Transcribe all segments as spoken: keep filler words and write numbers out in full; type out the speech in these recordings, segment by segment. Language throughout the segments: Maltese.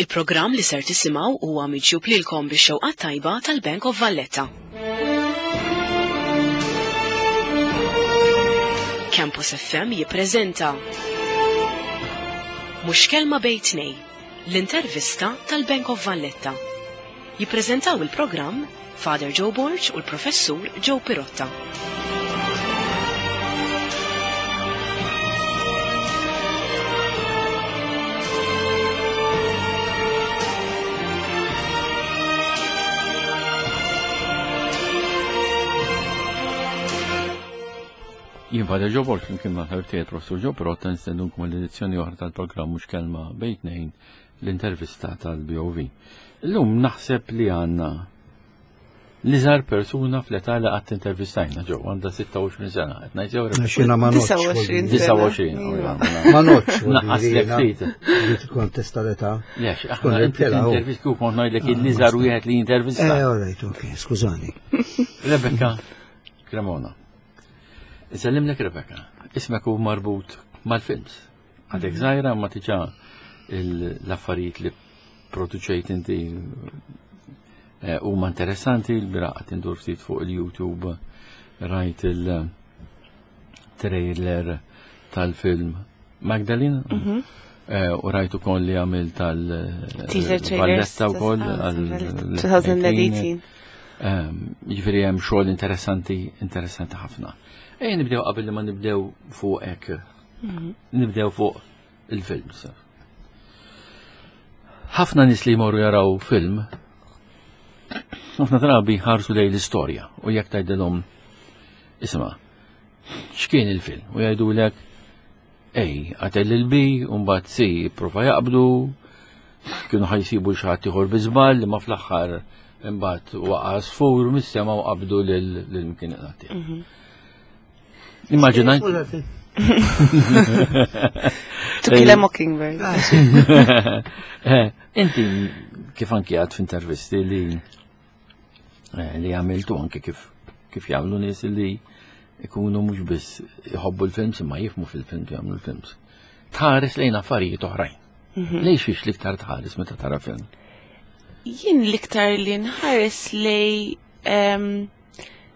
Il-programm li ser tisimgħu huwa miġjub lilkom bix-xewqa tajba tal-Bank of Valletta. Campus F M jippreżenta Mhux Kelma Bejn Tnejn, l-intervista tal-Bank of Valletta. Jippreżentaw il-programm Father Joe Borg u l-Professur Joe Pirotta. Jien Father Joe Borg, flimkien ma' ħabib tiegħi Professur Joe Pirotta, nistednukom l-edizzjoni oħra tal-programm Mhux Kelma Bejn Tnejn, l-intervista tal-B O V. Illum naħseb li għandna l-iżgħar persuna fl-età li qatt intervistajna ġew, għandha sitta u għoxrin sena. Qed ngħid jew Xina ma notx. disgħa u għoxrin. disgħa u għoxrin. Iva. Ma notx. Naqqas lek ftit. Li tkontesta l-età. Lex, aħna Tkun inti il-tela, u. intervist kif kont ngħidlek il-iżgħar wieħed li intervista. Eh, all right, ok, skużani. Rebecca Cremona. Isellimlek, Rebecca, ismek hu marbut mal-films. Għadek żgħira ma tiġa l-affarijiet li produċejt inti eh, huma interessanti. Il-bieraħ qed indur ftit fuq il-YouTube, rajt il-trailer tal-film Magdalene eh, u rajt ukoll li għamil tal- Teaser trailers. Valletta wkoll ah, għal elfejn u tmintax. Ehm, Jiġifieri hemm xogħol interessanti, interessanti ħafna. Ejja nibdew, qabel li ma nibdew fuq hekk. Nibdew fuq il-films. Ħafna nies li jmorru jaraw film, ħafna drabi ħarsu lejn l-istorja u jekk tgħidilhom, "Isma', x'kien il-film?" U jgħidulek A qatel lil B, u mbagħad C prova jaqbdu, kienu ħa jsibu xi ħadd ieħor bi żball li ma fl-aħħar imbagħad waqa' sfur mis-sema u qabdu lil lil kien iqnati. Immaġina To Kill a Mockingbird. Eh, Inti kif anki għad f'intervisti li eh, li għamiltu, anki kif kif jagħmlu nies li ikunu mhux biss jħobbu l-films imma jifhmu fil-films, jagħmlu l-films. Tħares lejn affarijiet oħrajn. Lejn xiex l-iktar tħares meta tara film? Jien l-iktar li nħares lej em,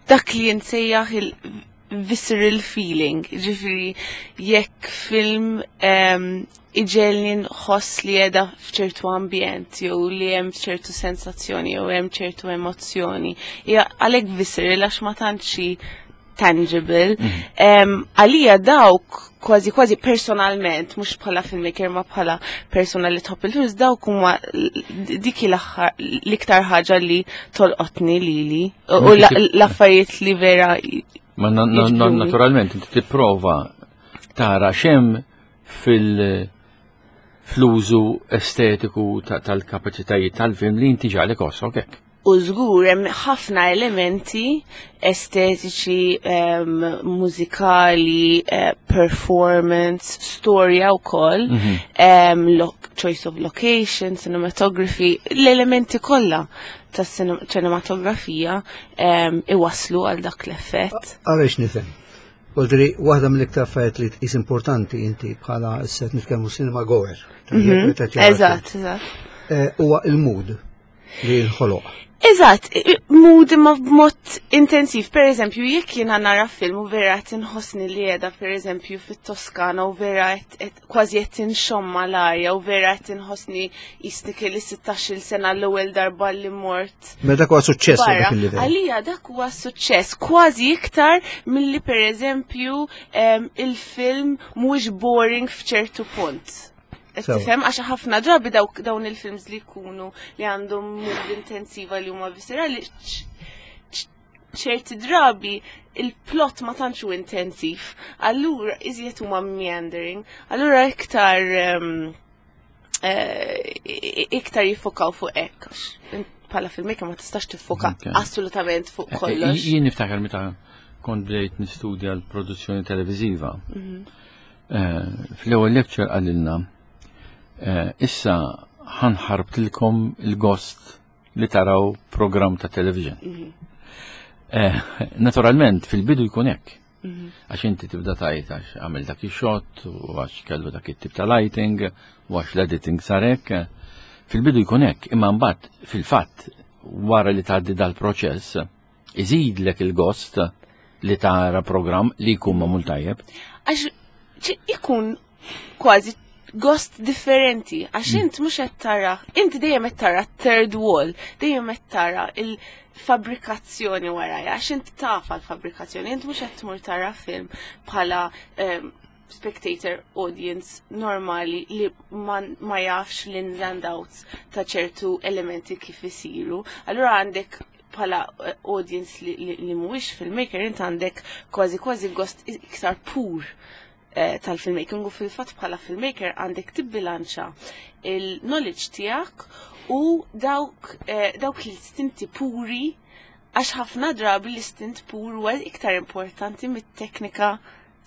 dak li nsejjaħ il-visceral feeling. Ġifieri, jekk film um, iġegħelni nħoss li qiegħda f'ċertu ambjent, jew li hemm ċertu sensazzjoni, jew hemm ċertu emozzjoni. Hija għalhekk visceral, għax ma tantx hi tangible. Em, Għalija dawk kważi kważi personalment, mhux bħala filmmaker ma bħala persona li tħobb il-films, dawk huma l- dik l-aħħar l-iktar ħaġa li tolqotni lili u u la- l-affarijiet li vera Ma na- na- na- jiġbduni. Naturalment inti tipprova tara x'hemm fil fl-użu estetiku ta- tal-kapaċitajiet tal-film li inti ġagħlek tħossok hekk. U żgur hemm ħafna elementi estetiċi, um, mużikali, uh, performance, storja wkoll, um, lo choice of location, cinematography, l-elementi kollha tas-cinematografija um, iwaslu għal dak l-effett. Għaliex nifhem. Voldiri, waħda mill-iktar affarijiet li tqis importanti inti bħala issa qed nitkellmu cinema goer. Eżatt, eżatt. Huwa il-mood li jinħoloq. Eżatt, mood imma b'mod intensiv. Per eżempju, jekk jiena nara film u vera qed inħossni li qiegħda, per eżempju, fit-Toskana u vera qed- qed- kważi qed inxomma l-arja u vera qed inħossni jisni kelli sittax-il sena l-ewwel darba li mort Mela dak huwa suċċess barra. dak il-livell. Għalija dak huwa suċċess kważi iktar milli, per eżempju, em, il-film mhuwiex boring f'ċertu punt. Qed Sewa. tifhem, għax ħafna drabi dawk dawn il-films li jkunu li għandhom mood intensiva li huma viscerali, ċ- ċ- ċerti drabi il-plot ma tantx hu intensiv. Allura iżjed huma meandering. Allura iktar em, eh, iktar jiffokaw fuq hekk, għax int bħala filmmaker ma tistax tiffoka Ok. assolutament fuq Eh, kollox. Jien niftakar meta kont bdejt nistudja l-produzzjoni televiżiva. Eh, Fl-ewwel lecture qalilna, eh, "Issa ħa nħarbtilkom il-gost li taraw program ta' television." Eh, Naturalment fil-bidu jkun hekk. Għax inti tibda tgħid għax għamel dak ix-shot u għax kellu dak it-tip ta' lighting u għax l-editing sarek. Fil-bidu jkun hekk, imma mbagħad fil-fatt wara li tgħaddi dal-proċess iżidlek il-gost li tara programm li jkun magħmul tajjeb. Għax ċi- ikun kważi gost differenti, għax int mhux qed tara, inti dejjem qed tara third wall, dejjem qed tara il-fabrikazzjoni warajja, għax int taf l-fabrikazzjoni, int mhux qed tmur tara film bħala em, spectator audience normali li ma, ma jafx l-ins and outs ta' ċertu elementi kif isiru. Allura għandek bħala eh, audience li, li, li mhuwiex filmmaker, int għandek kważi kważi gost iktar pur eh, tal-filmmaking u fil-fatt bħala filmmaker għandek tibbilanċa il-knowledge tiegħek u dawk, eh, dawk l-istinti puri, għax ħafna drabi l-istint pur huwa iktar importanti mit-teknika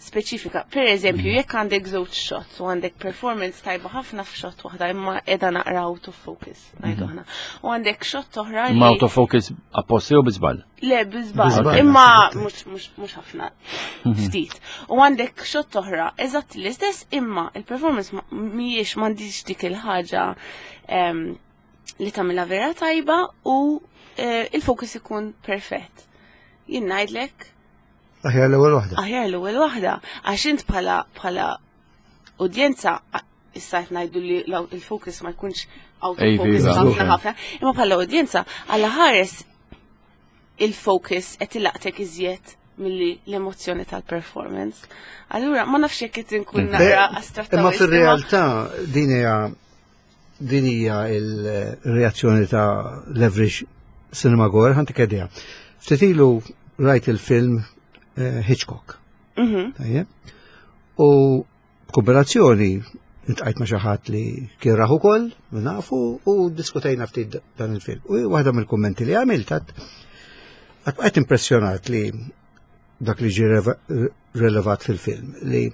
speċifika. Per eżempju, jekk għandek żewġ shots u għandek performance tajba ħafna f'shot waħda imma qiegħda naqra out of focus, ngħidu aħna. U għandek shot oħra Ma li out of focus apposta jew bi żball? Le, bi żball, Bi żball, imma naħseb. mhux mhux mhux ħafna, ftit. U għandek shot oħra, eżatt l-istess, imma il-performance ma- mhijiex, m'għandix dik il-ħaġa em, li tagħmilha vera tajba u eh, il-focus ikun perfett. Jien ngħidlek Aħjar l-ewwel waħda. Aħjar l-ewwel waħda, għax int bħala bħala udjenza a- issa qed ngħidu li l- il-focus ma jkunx out of Ej, focus iva. ħafna ħafna, imma bħala udjenza għalla ħares il-focus qed ilaqtek iżjed milli l-emozzjoni tal-performance. Allura ma nafx jekk qed inkun naqra astratta. Imma wisq, fil-realtà din hija din hija il-reazzjoni ta' l-average cinema goer, ħa ntik idea. Ftit ilu rajt il-film eh, Hitchcock. Mhm. Tajjeb. U kooperazzjoni iltqajt ma' xi ħadd li kien raħu ukoll, nafu, u diskutejna ftit dan il-film. U waħda mill-kummenti li għamilt għat għat impressjonat li dak li ġi reva- relevat fil-film, li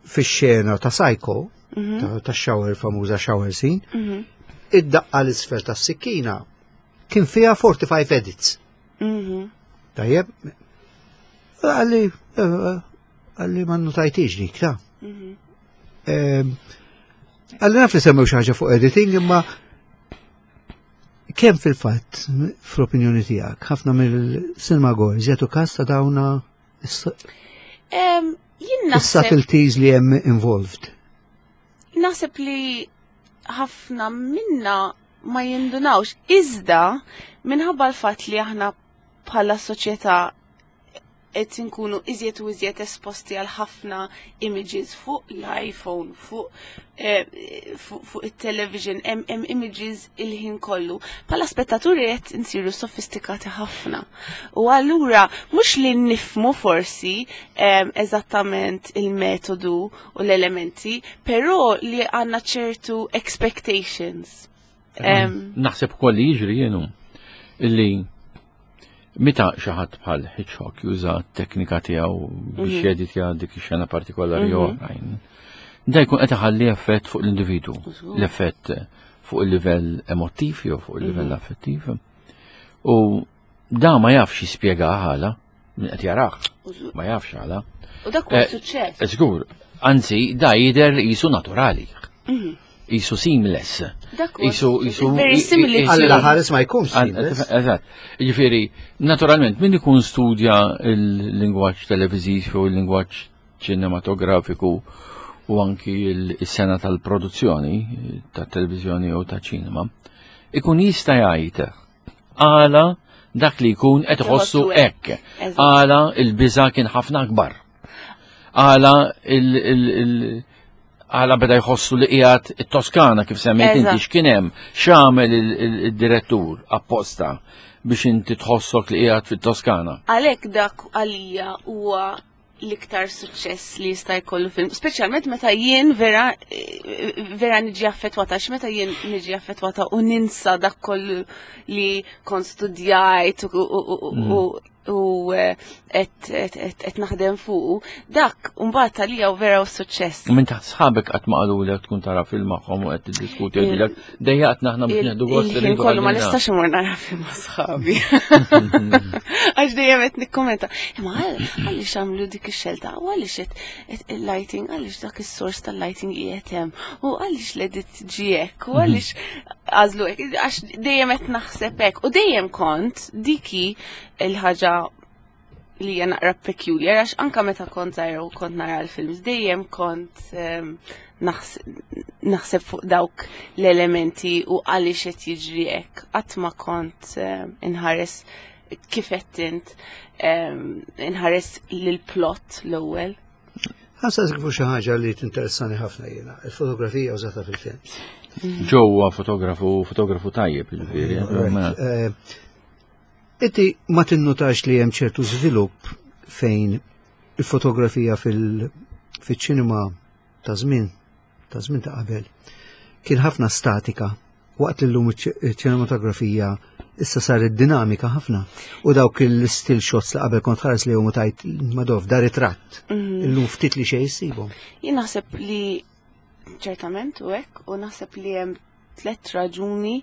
fix-xena ta' Psycho, Mhm. ta' ta' shower, famuża shower scene, Mhm. id-daqqa l-isfel ta' sikkina kien fiha forty-five edits. Mhm. Tajjeb, qalli, eh, qalli ma notajtix dik, ta' Mhm. Ehm, Qalli naf li semmew xi ħaġa fuq editing, imma kemm fil-fatt, fl-opinjoni tiegħek, ħafna mill-cinema goers jagħtu kas ta' dawna Em, Jien naħseb is-subtleties li hemm involved? Naħseb li ħafna minna ma jindunawx. Iżda, minħabba l-fatt li aħna bħala soċjetà qed inkunu iżjed u iżjed esposti għal ħafna images fuq l-iPhone, fuq eh, fuq fuq it-television, hemm hemm images il-ħin kollu. Bħala spettaturi qed insiru sofistikati ħafna. U allura mhux li nifmu forsi em, eżattament il-metodu u l-elementi, però li għandna ċertu expectations. Em, Naħseb ukoll li jiġri jienu illi meta xi ħadd bħal Hitchcock juża t-teknika tiegħu biex jeditja dik ix-xena partikolari jew oħrajn, da jkun qed iħalli effett fuq l-individwu, l-effett fuq il-livell emotiv jew fuq il-livell affettiv. U da ma jafx jispjega għala, min qed jarah, ma jafx għala. U dak huwa Eh, suċċess. Żgur, anzi, da jidher qisu naturali. Qisu seamless. Dak huwa Qisu, qisu. Very similar. Alla ħares ma jkunx seamless. Eżatt. Ġifieri, naturalment, min ikun studja il-lingwaġġ televiżiv u il-lingwaġġ ċinematografiku u anki il-sena tal-produzzjoni ta' televizjoni u ta' ċinema, ikun jista' jgħid għala dak li jkun qed iħossu Iħossu hekk. Eżatt. Għala il-biża kien ħafna akbar. Għala il- il- il- għala beda jħossu li qiegħed it-Toskana kif semmejt inti, Eżatt. x'kien hemm, x'għamel il- il- il-direttur apposta biex inti tħossok li qiegħed fit-Toskana. Għalhekk dak għalija huwa l-iktar suċċess li jista' jkollu film, speċjalment meta jien vera eh, vera niġi affettwata, għax meta jien niġi affettwata u ninsa dak kollu li kont studjajt u u- u- u- u eh, qed qed- qed naħdem fuqu, dak mbagħad għalija u vera u suċċess. Minn taħt sħabek qatt ma qalulek tkun tara film magħhom u qed tiddiskuti jgħidulek dejjaqtna, aħna biex nieħdu gost Il-ħin irridu kollu ma għalina. nistax imur nara film ma' sħabi. Għax dejjem qed nikkommenta. Imma għal- għaliex għamlu dik ix-xelta, u għaliex qed- qed il-lighting, għaliex dak is-sors tal-lighting qiegħed hemm, u għaliex l-edit ġie hekk, u għaliex għażlu hekk, għax dejjem qed naħseb hekk. U dejjem kont dik il-ħaġa li hija naqra peculiar, għax anka meta kont żgħira u kont nara l-films, dejjem kont em, naħs- naħseb fuq dawk l-elementi u għaliex qed jiġri hekk. Qatt ma kont em, inħares kif qed int em, inħares lil-plot l-ewwel. Ħa nsaqsik fuq xi ħaġa li tinteressani ħafna jiena, il-fotografija użata fil-films. Ġewwa fotografu, fotografu tajjeb, ġifieri. Right. Eh, Inti ma tinnutax li hemm ċertu żvilupp fejn il-fotografija fil- fil-ċinema ta' żmien ta' żmien ta' qabel kien ħafna statika, waqt li llum iċ-ċinematografija issa saret dinamika ħafna u dawk il-still shots li qabel kont tħares li huma tgħid, "Madoff, da ritratt." Illum ftit li xejn issibhom. Jien naħseb li ċertament u hekk, u naħseb li hemm tliet raġuni,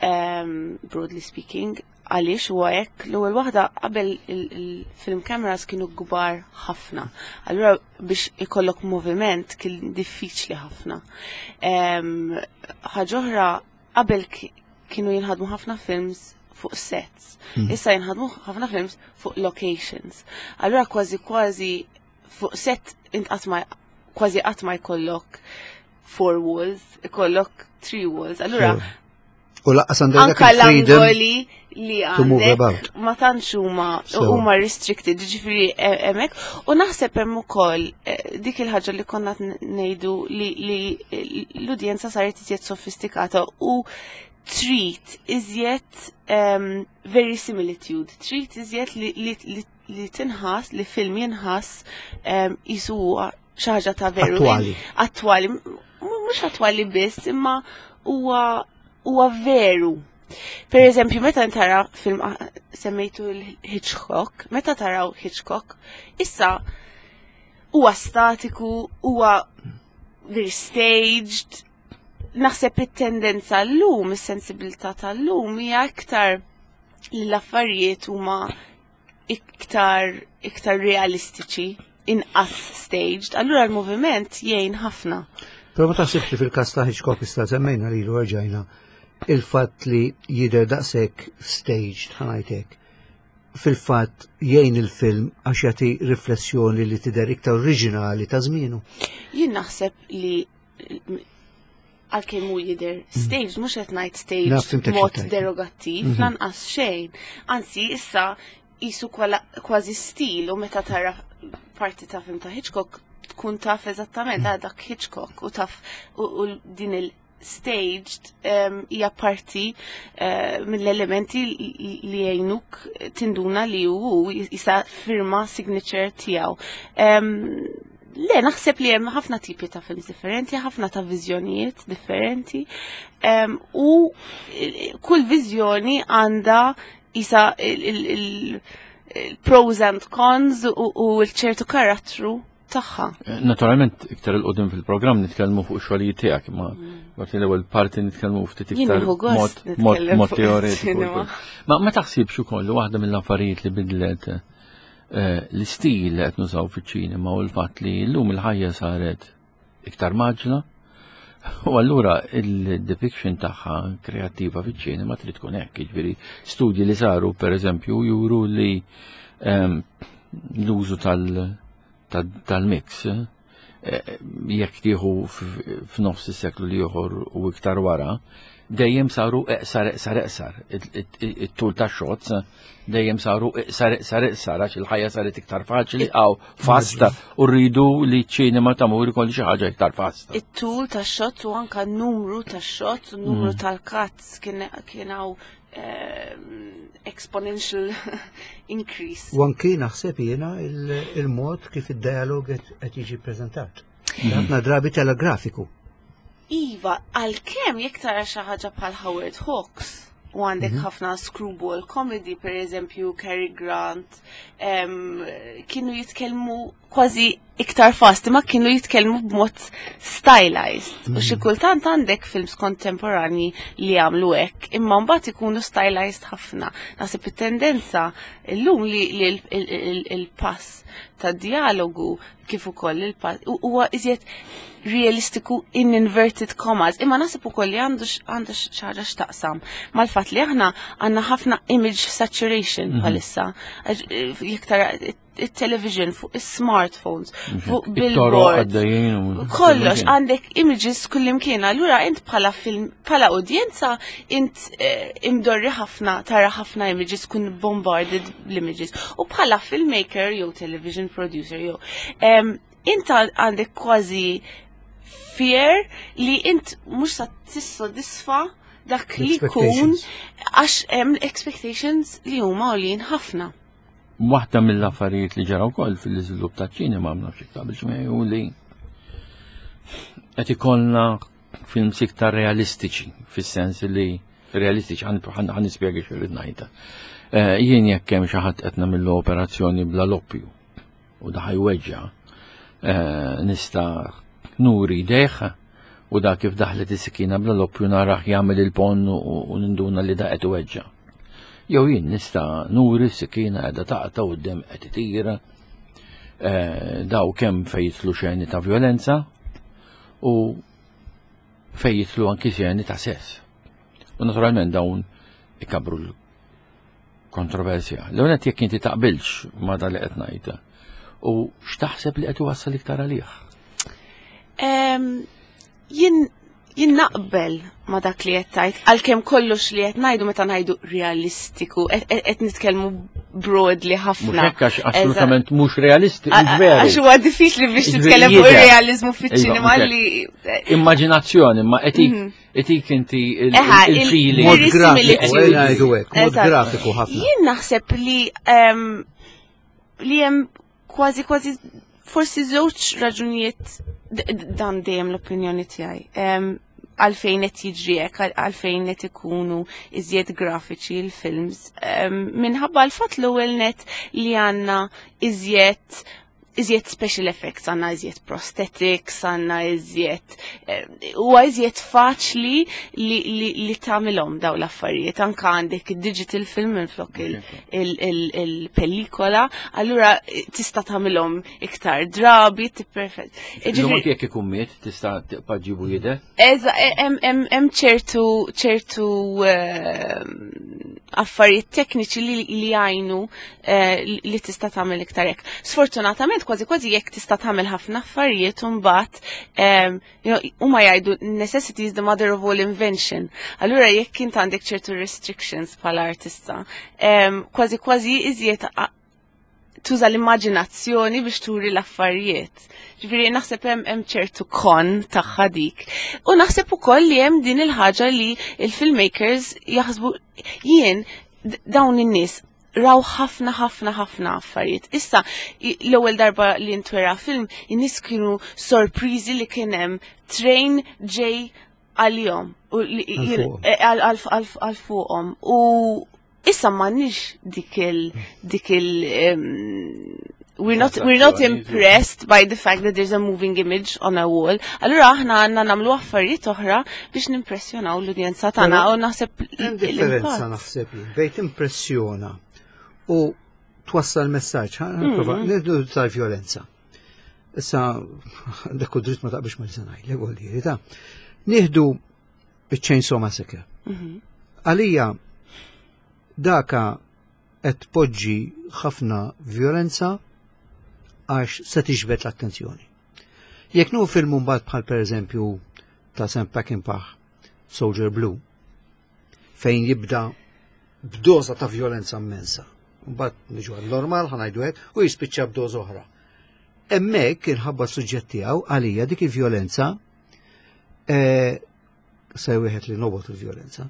um, broadly speaking, għaliex huwa hekk. L-ewwel waħda, qabel il-film cameras kienu kbar ħafna. Allura biex ikollok moviment kien diffiċli ħafna. Em, Ħaġa oħra, qabel ki- kienu jinħadmu ħafna films fuq sets. Issa jinħadmu ħafna films fuq locations. Allura kważi kważi fuq set int qatt ma kważi qatt ma jkollok four walls, ikollok three walls. Allura U lanqas għandek dak anka il-freedom l-angoli li to move għandek about. ma tantx huma So. huma restricted, ġifieri e- hemmhekk. U naħseb hemm ukoll eh, dik il-ħaġa li konna ngħidu li li l-udjenza saret iżjed sofistikata u trid iżjed um, verisimilitude, trid iżjed li, li, li, li tinħass, li film jinħass um, qisu huwa xi ħaġa ta' veru. Attwali. Attwali, M- mhux attwali biss, imma huwa huwa veru. Per eżempju, meta tara film, ah, semmejtu l-Hitchcock, meta taraw Hitchcock, issa huwa statiku, huwa very staged. Naħseb it-tendenza l-lum, is-sensibilità tal-lum hija iktar li l-affarijiet huma iktar iktar realistiċi, inqas staged. Allura l-moviment jgħin ħafna. Però ma taħsibx li fil-każ ta' Hitchcock, issa semmejna lilu rġajna, il-fatt li jidher daqshekk staged, ħa ngħidlek, fil-fatt jgħin il-film għax jagħti riflessjoni li tidher iktar oriġinali ta' żmienu? Jien naħseb li għalkemm hu jidher staged, mhux qed ngħid staged Naf, fhimtek mod xi tgħid. derogattiv, lanqas xejn. Anzi, issa qisu kważi stil u meta tara parti ta' film ta' Hitchcock tkun taf eżattament ah, dak Hitchcock u taf u, u din il-staged um, hija parti uh, mill-elementi li jgħinuk tinduna li hu jisa firma signature tiegħu. Um, Le, naħseb li hemm ħafna tipi ta' films differenti, ħafna ta' viżjonijiet differenti, um, u kull viżjoni għandha isa il-pros and cons u, u l-ċertu karattru tagħha. Naturalment, iktar 'il quddiem fil-programm nitkellmu fuq xogħlijiet tiegħek, imma waqt l-ewwel parti nitkellmu ftit iktar mod mod teoretiku. Ma ma taħsibx ukoll waħda mill-affarijiet li bidlet eh, l-istil li qed nużaw fiċ-ċinema u l-fatt li llum il-ħajja saret iktar mgħaġġla u allura il-depiction tagħha kreattiva fiċ-ċinema trid tkun hekk, jiġifieri studji li saru, pereżempju, juru li ehm, l-użu tal- tal-mix eh, jekk tieħu f'nofs is-seklu l-ieħor u iktar wara, dejjem saru iqsar, iqsar, iqsar. It-tul ta' shots dejjem saru iqsar, iqsar, iqsar, għax il-ħajja saret iktar faċli għaw fasta u rridu li ċinema tamur ikolli xi ħaġa iktar fasta. It-tul ta' shots u anka n-numru ta' shots u n-numru mm. tal-cuts kien hawn ehm, exponential increase. U anki naħseb jiena il-mod kif id-dialog qed jiġi preżentat. Ħafna drabi telegrafiku. Iva, għalkemm jekk tara xi ħaġa bħal Howard Hawks u għandek mhm. ħafna screwball comedy, per eżempju Cary Grant, kienu jitkellmu kważi iktar fast, ma kienu jitkellmu b'mod stylized. U xi kultant għandek films kontemporani li jagħmlu hekk, imma mbagħad ikunu stylized ħafna. Naħseb it-tendenza illum li li il- il- il- il-pass ta' dialogu kif ukoll il-pass huwa iżjed realistiku in inverted commas. Imma naħseb ukoll li għandu x- għandu xi ħaġa x'taqsam mal-fatt li aħna għandna ħafna image saturation bħalissa. Għax, eh, Jekk tara it-television fuq is-smartphones, fuq It-toroq billboards, għaddejjin u- kollox għandek images kullimkien. Allura int bħala film, bħala udjenza, int eh, imdorri ħafna tara ħafna images, kun bombarded bl-images. U bħala filmmaker jew television producer jew em, int għandek kważi fear li int mhux sa tissodisfa dak li jkun Expectations. għax hemm expectations li huma għoljin ħafna. Waħda mill-affarijiet li ġara wkoll fil-iżvilupp taċ-ċinema, ma nafx taqbilx miegħi, hu li qed ikollna films iktar realistiċi, fis-sens li realistiċi, ħa nispjega x'irrid ngħidha. Eh, Jien jekk hemm xi ħadd qed nagħmlu operazzjoni bla loppju u da ħa jweġġa', eh, nista' nuri deħ u da kif daħlet is-sikina bla loppju narah jagħmel il-ponn u u ninduna li da qed iweġġa'. Jew jien nista' nuri s-sikina qiegħda taqta' u d-dem qed itira. Eh, Daw kemm fejn jidħlu xeni ta' violenza u fejn jidħlu anki xeni ta' sess. U naturalment dawn ikabru l-kontroversja. L-għonet jekk inti taqbilx ma da li qed ngħid. U x'taħseb li qed iwassal iktar għalih? Em, Jien jien naqbel ma dak li qed tgħid, għalkemm kollox li qed ngħidu meta ngħidu realistiku, qed qed nitkellmu broadly Mhux ħafna. hekk, għax assolutament mhux realisti, mhux Għax veru. huwa diffiċli biex Jiġifieri titkellem fuq jidher. ir-realizmu fiċ-ċinema Iva, mhux li Immaġinazzjoni, ma etik etik inti il- Eħa, il- il- il-feeling. Mod Very grafiku, similitude. ejja ngħidu hekk, mod Eżatt. grafiku ħafna. Jien naħseb li em, li hemm kważi kważi forsi żewġ raġunijiet, d- d- dan dejjem l-opinjoni tiegħi. Em, Għalfejn qed jiġri hekk, għal- għalfejn qed ikunu iżjed grafiċi l-films. Em, Minħabba l-fatt l-ewwel net li għandna iżjed iżjed special effects, għandna iżjed prosthetics, għandna iżjed, eh, huwa iżjed faċli li, li, li tagħmilhom daw l-affarijiet. Anka għandek digital film minflok il- il- il- il-pellikola, allura eh, tista' tagħmilhom iktar drabi, tipperfett. Illum anki jekk ikun miet tista' tibqa' ġibu jidher. Eża, hemm hemm ċertu ċertu ehm, affarijiet tekniċi li li jgħinu eh, li tista' tagħmel iktar hekk. Sfortunatament kważi kważi jekk tista' tagħmel ħafna affarijiet imbagħad ehm, you know, huma jgħidu "necessity is the mother of all invention". Allura jekk int għandek ċertu restrictions bħala artista, ehm, kważi kważi iżjed a- tuża l-immaġinazzjoni biex turi l-affarijiet. Ġifieri naħseb hemm hemm ċertu kon tagħha dik. U naħseb ukoll li hemm din il-ħaġa li il-filmmakers jaħsbu jien d- dawn in-nies raw ħafna ħafna ħafna affarijiet. Issa i- l-ewwel darba li ntwera film, in-nies kienu sorpriżi li kien hemm train ġej għalihom u li- Għal fuqhom. eh, għal għal- għal- għal fuqhom. U issa m'għandniex dik il dik il um, we're not we're not impressed by the fact that there's a moving image on a wall. Allura aħna għandna nagħmlu affarijiet oħra biex nimpressjonaw l-udjenza tagħna Però u naħseb Hemm differenza l-impatt. naħseb jien bejn impressjona u twassal messaġġ. Ħa nipprova nibdu tal-vjolenza. Issa dak u dritt ma taqbilx ma li se ngħidlek, vuol ta' nieħdu iċ-Chainsaw Massacre. Għalija daka qed tpoġġi ħafna vjolenza għax se tiġbed l-attenzjoni. Jekk nu film mbagħad bħal pereżempju ta' Sam Peckinpah, Soldier Blue, fejn jibda b'doża ta' violenza immensa. Mbagħad niġu għal normal ħa ngħidu hekk u jispiċċa b'doża oħra. Hemmhekk inħabba s-suġġett tiegħu, għalija dik il-vjolenza eh, se wieħed li nobgħod il-vjolenza,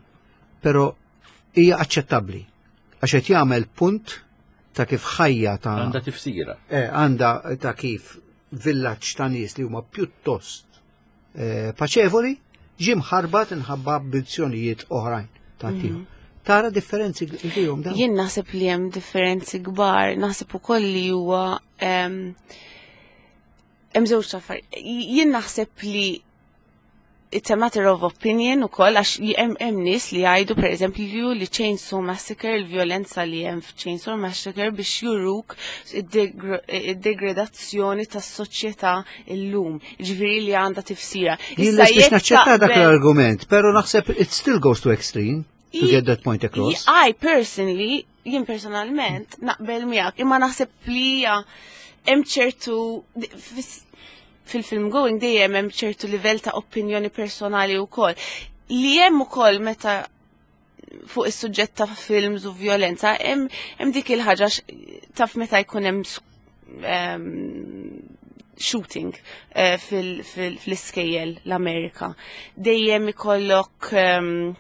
però hija aċċettabbli għax qed jagħmel punt ta' kif ħajja ta' Għandha tifsira. eh, għanda ta' kif villaġġ ta' nies li huma pjuttost eh, paċevoli ġie mħarbat inħabba ambizzjonijiet oħrajn ta' tiegħu. Tara differenzi fihom dawn? Jien naħseb li hemm differenzi kbar, naħseb ukoll li huwa em, Hemm żewġ affarijiet. Jien naħseb li it's a matter of opinion ukoll, għax hemm hemm nies li jgħidu, pereżempju, li Chainsaw Massacre, il-vjolenza li hemm f'Chainsaw Massacre biex juruk id-degradazzjoni tas-soċjetà illum. Ġifieri li għandha tifsira. Jien biex naċċetta dak l-argument, però naħseb it still goes to extreme to get that point across. I personally, jien personalment naqbel miegħek, imma naħseb li hemm ċertu fil-film going dejjem hemm ċertu livell ta' opinjoni personali wkoll. Li hemm ukoll meta fuq is-suġġett ta' films u violenza, hemm hemm dik il-ħaġa, taf, meta jkun hemm shooting eh, fil-iskejjel l-Amerika. Dejjem ikollok eh,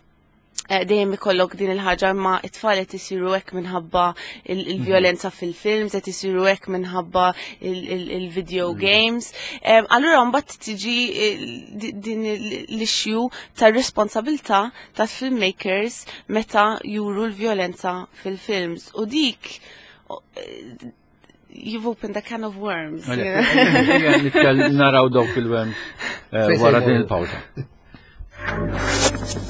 dejjem ikollok din il-ħaġa, ma it-tfal qed isiru hekk minħabba il-vjolenza fil-films, qed isiru hekk minħabba il-video mhm. games. Allura mbagħad tiġi din l-issue tar-responsabilità ta' filmmakers meta juru l-vjolenza fil-films. U dik, you've opened a can of worms. Naraw dawk il-worms eh, wara din il-pawza.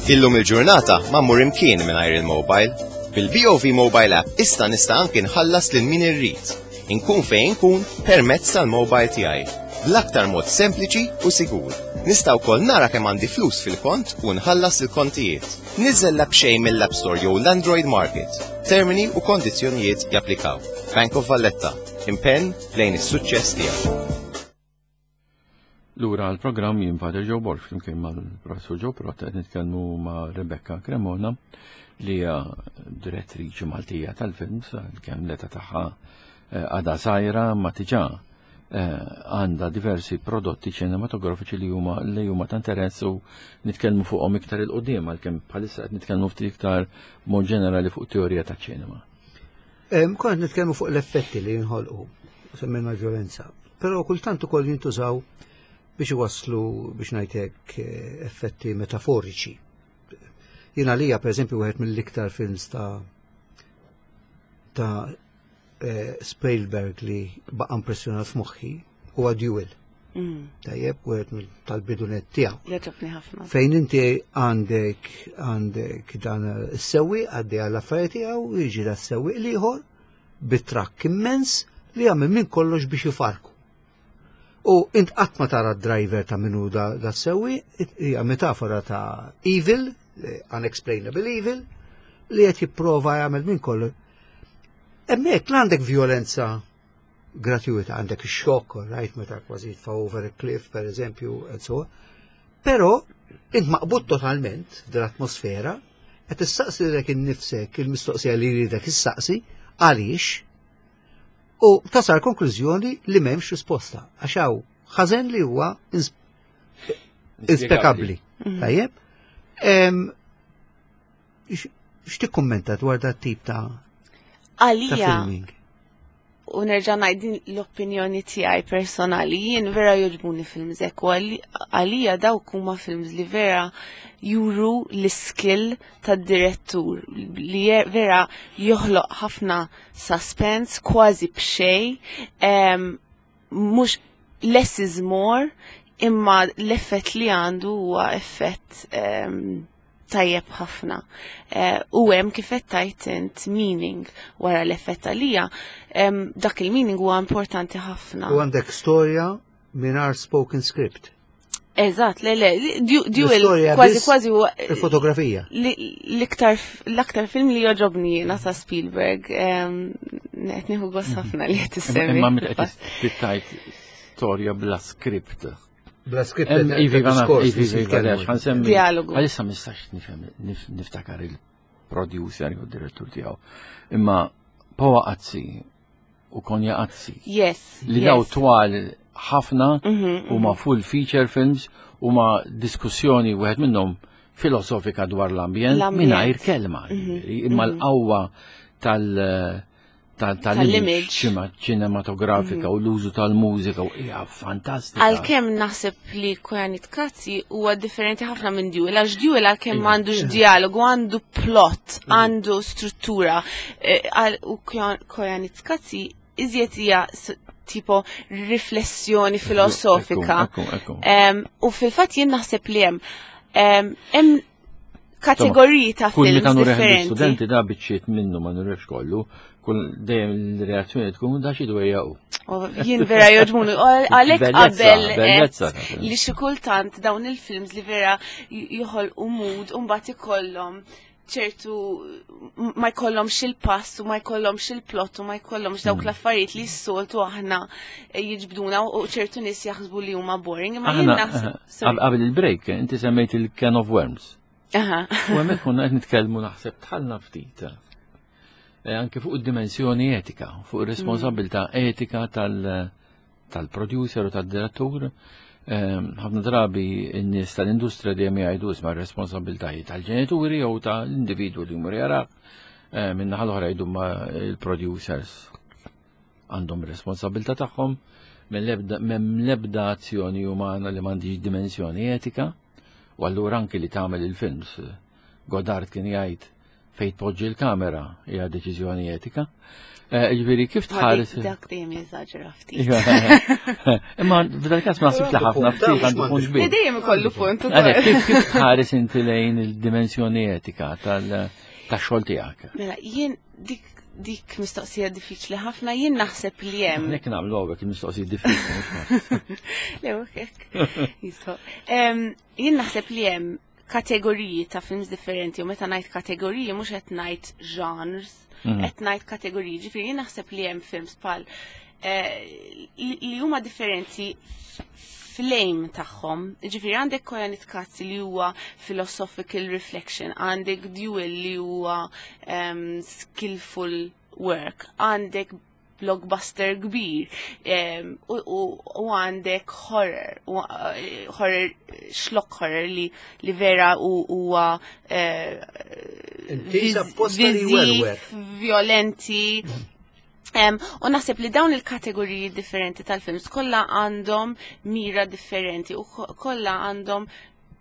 Illum il-ġurnata ma mmur imkien mingħajr il-mobile. Bil-B O V Mobile App issa nista' anki nħallas lil min irrid. Inkun fejn inkun permezz tal-mobile tiegħi. Bl-aktar mod sempliċi u sigur. Nista' wkoll nara kemm għandi flus fil-kont u nħallas il-kontijiet. Niżel l-app b'xejn mill-App Store jew l-Android Market. Termini u kondizzjonijiet japplikaw. Bank of Valletta. Impenn lejn is-suċċess tiegħek. Lura għal-programm, jien Father Joe Borg flimkien mal-Professor Joe Pirotta, qed nitkellmu ma' Rebecca Cremona, li hija direttriċi Maltija tal-films, kemm l-età tagħha eh, għadha żgħira ma diġà eh, għandha diversi prodotti ċinematografiċi li huma li huma ta' interess u nitkellmu fuqhom iktar 'il quddiem, għalkemm bħalissa qed nitkellmu ftit iktar mod ġenerali fuq teorija ta' ċinema. Kont nitkellmu fuq l-effetti li jinħolqu, semmejna violenza, però kultant ukoll jintużaw biex iwasslu, biex ngħidlek, eh, effetti metaforiċi. Jiena lija, per eżempju, wieħed mill-iktar films ta' ta' eh, Spielberg li baqa' impressjonat f'moħħi huwa Duel. Mm. Tajjeb, wieħed mill- tal-bidunet tiegħu. Jogħġobni ħafna. Fejn inti għandek għandek dan is-sewwieq għaddej għall affarijiet tiegħu, jiġi da s-sewwieq l-ieħor bit-trakk immens li jagħmel minn kollox biex jifarku. U int qatt ma tara d-driver ta' minnu da, da s-sewwieq, hija metafora ta' evil, eh, unexplainable evil, li qed jipprova jagħmel minn kollox. Hemmhekk l għandek violenza gratuita, għandek xokk, right, meta kważi tfa over a cliff, per eżempju, and so on. Però int maqbud totalment f'din l-atmosfera, qed issaqsi lilek innifsek il-mistoqsija li jridek issaqsi, għaliex, u tasal konklużjoni li m'hemmx risposta, għax hawn ħażen li huwa ins- inspjegabbli. Tajjeb? Em, x- X'tikkummenta dwar dat tip ta' ta' Għalija, filming? U nerġa' ngħid din l-opinjoni tiegħi personali, jien vera jogħġbuni films hekk u għali- għalija dawk huma films li vera juru l-skill tad-direttur li je- vera joħloq ħafna suspense kważi b'xejn, em, mhux less is more, imma l-effett li għandu huwa effett em, tajjeb ħafna. Eh, U hemm, kif qed tajt int, meaning wara l-effett. Għalija em, dak il-meaning huwa importanti ħafna. U għandek storja mingħajr spoken script. Eżatt, le le, Du- Duel L-istorja kważi biss. kważi huwa Il-fotografija. li- l-iktar l-aktar film li jogħġobni jiena ta' Spielberg. em, Qed nieħu gost ħafna li qed issemmi. Imma meta qed tittajt storja bla script. Bla script. Em, Ivi, għana, ivi, ivi, għalix, ħansemmi. Dialogu. Għalissa ma nistax nifhem, nif- niftakar il-producer u direttur tiegħu. Imma Powa Qazzi u Konja Qazzi. Yes. Li yes. daw twal ħafna Mhm, u ma full feature films u ma diskussjoni, wieħed minnhom filosofika, dwar l-ambjent L-ambjent. mingħajr kelma. Imma l-qawwa tal- tal- tal-image Tal-image. ċinematografika u l-użu tal-mużika u hija fantastika. Għalkemm naħseb li Koyaanisqatsi huwa differenti ħafna minn Duel, għax Duel għalkemm m'għandux dialogu, għandu plot, għandu struttura. Eh, għal- U Koyaanisqatsi iżjed hija s- tipo riflessjoni filosofika. Ekku, ekku, ekku. Em, U fil-fatt jien naħseb li hemm em, hemm kategoriji ta' Kull films meta nurih differenti. l-studenti da biċċiet minnu ma nurihx kollu, kull dejjem l-reazzjoni tkun da xi dwejja u. U Jien vera jogħġbuni, u għalhekk Bellezza, qabel bellezza għedt ta' film. li xi kultant dawn il-films li vera joħolqu mood u mbagħad ikollhom ċertu ma jkollhomx il-pass u ma jkollhomx il-plot u ma jkollhomx dawk Mm. l-affarijiet li s-soltu aħna jiġbduna u ċertu nies jaħsbu li huma boring. Imma jien Aħna naħseb. eh, sorry. qabel il-break, inti semmejt il-Can of Worms. Aha. U hemmhekk konna qed nitkellmu naħseb tħallna ftit. Eh, Anke fuq id-dimensjoni etika, fuq ir-responsabilità etika tal- tal-producer u tad-direttur. Eh, Ħafna drabi n-nies tal-industrija dejjem jgħidu isma' r-responsabilitajiet tal-ġenituri jew tal-individwu li jmur jara. Eh, Min-naħa l-oħra jgħidu ma il-producers għandhom responsabilità tagħhom m'hemm l-ebda azzjoni umana li m'għandix dimensjoni etika. U allura anki li tagħmel il-films. Godard kien jgħid fejn tpoġġi l-kamera hija deċiżjoni etika. Eh, Ġifieri kif Ma tħares. dik- Dak dejjem jeżaġera ftit. Iva. Imma f'dal każ ma naħsibx li ħafna ftit għandu punt Le kbir. Dejjem ikollu punt Għalhekk, ukoll. kif kif tħares inti lejn il-dimensjoni etika tal tax-xogħol tiegħek? Mela, jien dik dik mistoqsija diffiċli ħafna, jien naħseb li hemm Nek nagħmlu hawnhekk il-mistoqsijiet diffiċli. mhux ma. Le, hekk. Jistgħu. Em, Jien naħseb li hemm kategoriji ta' films differenti u meta ngħid kategoriji mhux qed ngħid genres, Mhm. qed ngħid kategoriji. Ġifieri jien naħseb li hemm films bħal eh, li li huma differenti fl-aim tagħhom. Ġifieri għandek Koyaanisqatsi li huwa philosophical reflection, għandek Duel li huwa um, skillful work, għandek blockbuster kbir em, u, u, u għandek horror, u, eh, horror, schlock horror li, li vera u huwa eh, Intiż viż- apposta li viżiv, jwerwer. violenti. Em, u naħseb li dawn il-kategoriji differenti tal-films kollha għandhom mira differenti u ko- kollha għandhom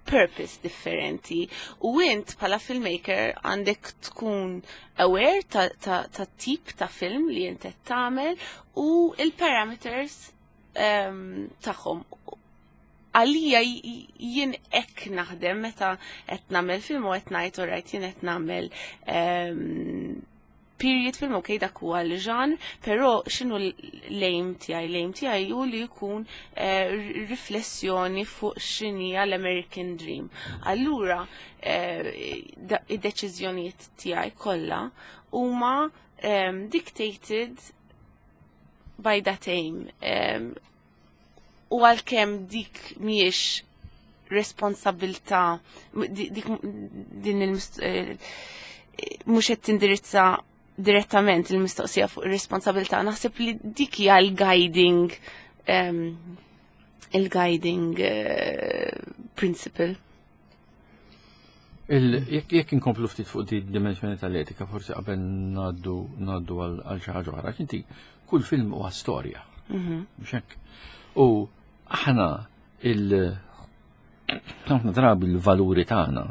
purpose differenti. U int bħala filmmaker għandek tkun aware ta', ta, ta tip ta' film li int qed tagħmel u il-parameters um, tagħhom. Għalija j- jien hekk naħdem meta qed nagħmel film u qed ngħid alright jien qed nagħmel um, period film, ok, dak huwa l-ġan, però x'inhu l-aim tiegħi? L-aim tiegħi hu li jkun eh, riflessjoni fuq x'inhi l-American Dream. Allura, eh, da- id-deċiżjonijiet tiegħi kollha huma um, dictated by that aim. Um, u għalkemm dik mhijiex responsabilta di- dik din il mhux qed tindirizza direttament il-mistoqsija fuq ir-responsabilità, naħseb li dik hija l-guiding um, il-guiding uh, principle. Il- Jekk jekk inkomplu ftit fuq di dimensjoni tal-etika, forsi qabel ngħaddu ngħaddu għal għal xi ħaġa oħra. Inti kull film huwa storja. Mhux hekk. U aħna il ħafna drabi l-valuri tagħna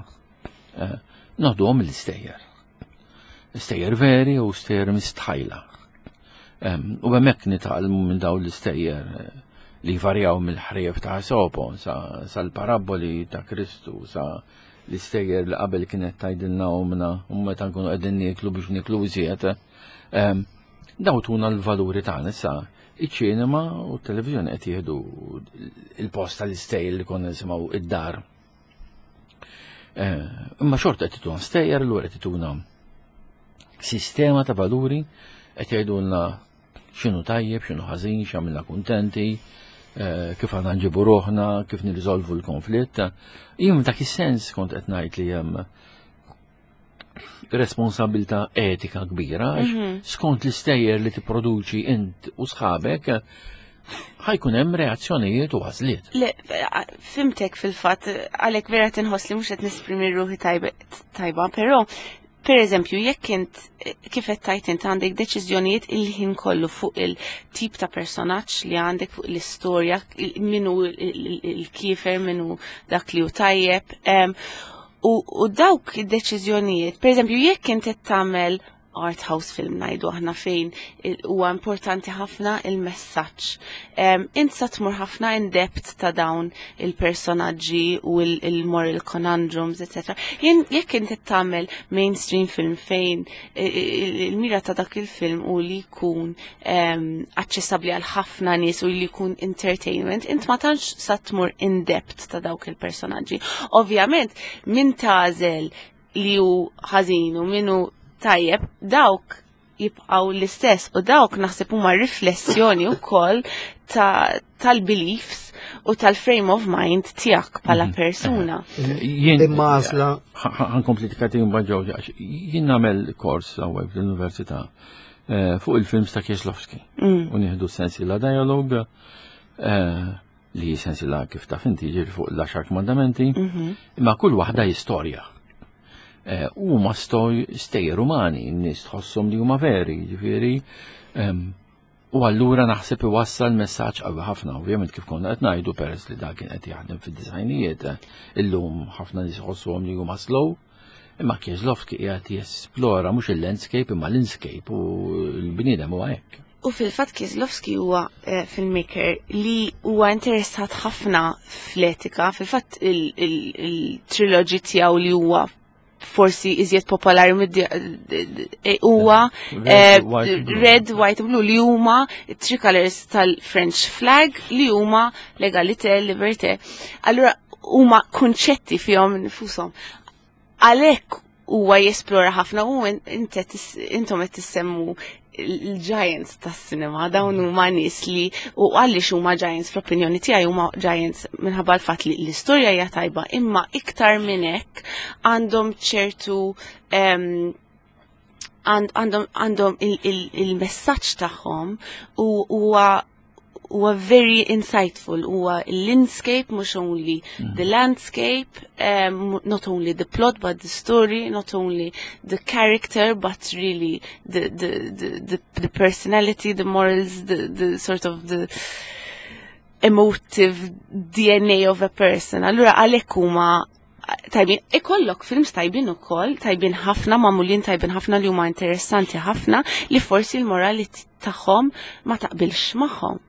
eh, noħduhom mill-istejjer. Stejjer veri u stejjer mistħajla. Em, U hemmhekk nitgħallmu minn dawn l-istejjer eh, li varjaw mill-ħrief ta' Esopo sa sal-paraboli ta' Kristu sa l-istejjer li qabel kienet tgħidilna omna u meta nkunu qegħdin nieklu biex nieklu iżjed. Em, Daw tuna l-valuri tagħna issa iċ-ċinema u t-televiżjoni qed jieħdu il-post tal-istejjer li konna nisimgħu id-dar. Eh, Imma xorta qed ituna stejjer, allura qed ituna sistema ta' valuri qed jgħidulna x'inhu tajjeb, x'inhu ħażin, x'għamilna kuntenti, eh, kif għandna nġibu ruħna, kif nirriżolvu l-konflitt. Jien dak is-sens kont qed ngħid li hemm responsabilità etika kbira, għax skont l-istejjer li tipproduċi int u sħabek, ħa jkun hemm reazzjonijiet u għażliet. Le, fhimtek fil-fatt, għalek vera tinħoss li mhux qed nesprimi ruħi tajba, tajba, però per eżempju, jekk int kif qed tajt int għandek deċiżjonijiet il-ħin kollu fuq il-tip ta' personaġġ li għandek fuq l-istorja, il- minu il-kiefer, minu dak li hu tajjeb. em, U, u dawk id-deċiżjonijiet, per eżempju, jekk int qed tagħmel art house film ngħidu aħna fejn huwa importanti ħafna il-messaġġ. Um, int sa tmur ħafna in depth ta' dawn il-personaġġi u il-moral conundrums, et cetera. Jien jekk inti tagħmel mainstream film fejn il-mira ta' dak il-film u li jkun um, aċċessabbli għal ħafna nies u li jkun entertainment, int ma tantx sa tmur in depth ta' dawk il-personaġġi. Ovvjament, min tagħżel li hu ħażin u min hu tajjeb, dawk jibqaw l-istess u dawk naħseb huma riflessjoni wkoll tal-beliefs u tal-frame of mind tiegħek bħala mhm. persuna. Jien Imma għażla ħa nkompli tikati ġew, jien nagħmel kors hawnhekk fl-università eh, fuq il-films ta' Kieslowski. Mm. U nieħdu sensiela dialogue eh, li sensiela, kif taf inti, ġiri fuq l-għaxar kmandamenti, mhm. imma kull waħda istorja. Eh, huma stoj stejjer umani, n-nies tħosshom li huma veri, ġifieri. U allura naħseb iwassal messaġġ qawwi ħafna, ovvjament kif konna qed ngħidu, peress li dak kien qed jaħdem fid-disgħinijiet, illum ħafna nies iħossuhom li huma slow, imma Kieslowski qiegħed jesplora mhux il-landscape imma l-inscape u l-bniedem huwa hekk. U fil-fatt Kieslowski huwa eh, filmmaker li huwa interessat ħafna fl-etika, fil-fatt il-trilogy tiegħu li huwa forsi iżjed popolari eh, huwa eh, Red, White, Blue, li huma tricolors tal-French flag, li huma l'égalité, liberté. Allura huma kunċetti fihom nfushom. Għalhekk huwa jesplora ħafna u intom qed tissemmu il-giants tas-cinema, dawn huma nies li, u għaliex huma giants, fl-opinjoni tiegħi huma giants minħabba l-fatt li l-istorja hija tajba, imma iktar minn hekk għandhom ċertu għandhom għandhom il-messaġġ tagħhom u huwa huwa very insightful, huwa l-landscape, mhux only mm. the landscape, um, not only the plot but the story, not only the character but really the the the, the, the personality, the morals, the, the sort of the emotive D N A of a person. Allura għalhekk huma tajbin, ikollok films tajbin ukoll, tajbin ħafna, magħmulin tajbin ħafna, li huma interessanti ħafna, li forsi l-morali tagħhom ma taqbilx magħhom.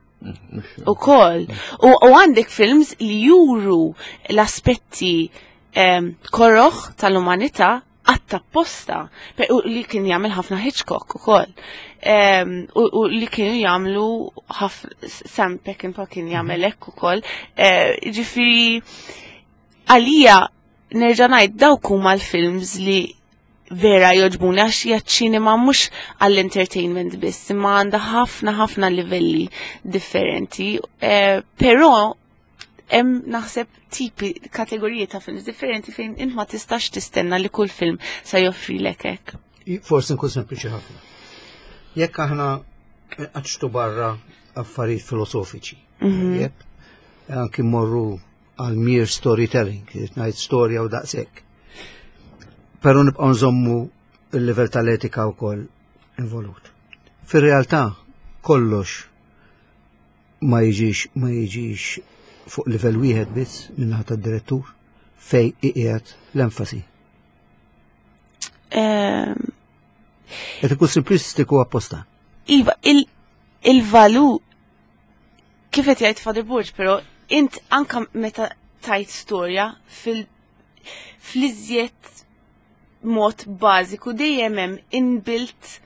Ukoll. U għandek films li juru l-aspetti um, koroħ tal-umanità għatta posta, u li kien jagħmel ħafna Hitchcock ukoll. Um, u, li kienu jagħmlu Sam Peckinpah kien jagħmel hekk ukoll. Uh, ġifieri għalija nerġa' ngħid, dawk huma l-films li vera jogħġbuni għax hija ċinema mhux għall-entertainment biss, imma għandha ħafna ħafna livelli differenti. Eh, però hemm naħseb tipi, kategoriji ta' films differenti fejn int ma tistax tistenna li kull film sa joffrilek hekk. Forsi nkun sempliċi ħafna. Jekk aħna għadċtu barra affarijiet filosofiċi, mm -hmm. anki morru għal mere storytelling, ngħid storja u daqshekk. Però nibqgħu nżommu il-livell tal-etika wkoll involut. Fir-realtà kollox ma jiġix ma jiġix fuq livell wieħed biss min-naħa tad-direttur fej iqiegħed l-enfasi. Ehm, Qed ikun simplistiku apposta. Iva, il-valu kif qed jgħid Father Borg, però int anka meta tajt storja fil fl-iżjed mod bażiku dejjem hemm inbuilt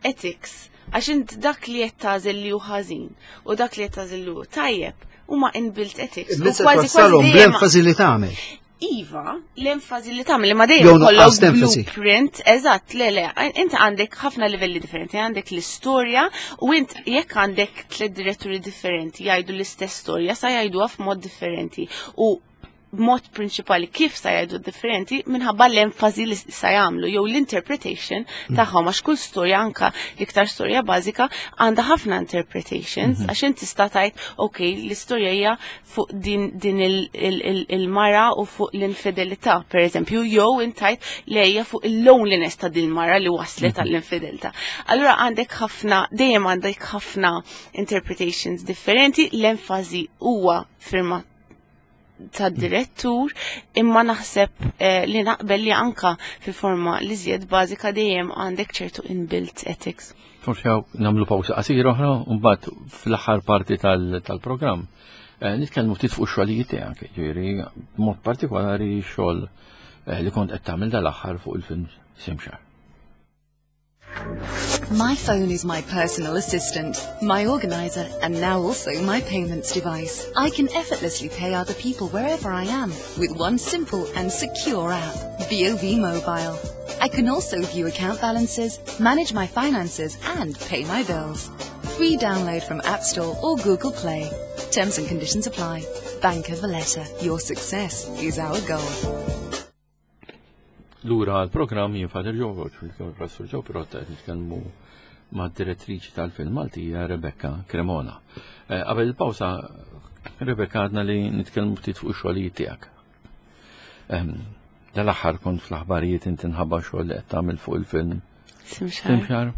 ethics, għax int dak li qed tagħżel li hu ħażin u dak li qed tagħżel li hu tajjeb huma inbuilt ethics. U kważi kważi bl-enfasi li tagħmel. Iva, l-enfasi li tagħmel, imma dejjem kollok blueprint, eżatt, le le, int għandek ħafna livelli differenti, għandek l-istorja u int jekk għandek tliet diretturi differenti jgħidu l-istess storja, sa jgħiduha f'mod differenti. U b'mod prinċipali kif sa jgħidu differenti minħabba l-enfasi li sa jagħmlu jew l-interpretation mm. tagħhom, għax kull storja, anka l-iktar storja bażika, għandha ħafna interpretations, mhm. għax inti tista' tgħid, ok, l-istorja hija fuq din, din il-mara u fuq l-infidelità, per eżempju, jew intajt li hija fuq il-loneliness ta' din mara li waslet mhm. għall-infidelità. Allura għandek ħafna, dejjem għandek ħafna interpretations differenti, l-enfasi huwa firma tad-direttur, imma naħseb eh, li naqbel li anka fil-forma li żjed bażika dejjem għandek ċertu inbuilt ethics. Forsi hawn nagħmlu pawsa qasira oħra u mbagħad fl-aħħar parti tal-programm eh, nitkellmu ftit fuq ix-xogħlijiet tiegħek, ġifieri b'mod partikolari xogħol eh, li kont qed tagħmel dal-aħħar fuq il-film Simxar. My phone is my personal assistant, my organizer, and now also my payments device. I can effortlessly pay other people wherever I am with one simple and secure app, B O V Mobile. I can also view account balances, manage my finances, and pay my bills. Free download from App Store or Google Play. Terms and conditions apply. Bank of Valletta. Your success is our goal. Lura għal-programm, jien Father Joe Borg, fil-Professor Joe Pirotta, qed nitkellmu ma' direttriċi tal-film Maltija Rebecca Cremona. Eh, qabel il-pawsa, Rebecca, għadna li nitkellmu ftit fuq ix-xogħlijiet tiegħek. Ehm, Dal-aħħar kont fl-aħbarijiet inti nħabba xogħol li qed tagħmel fuq il-film Simxar. Simxar.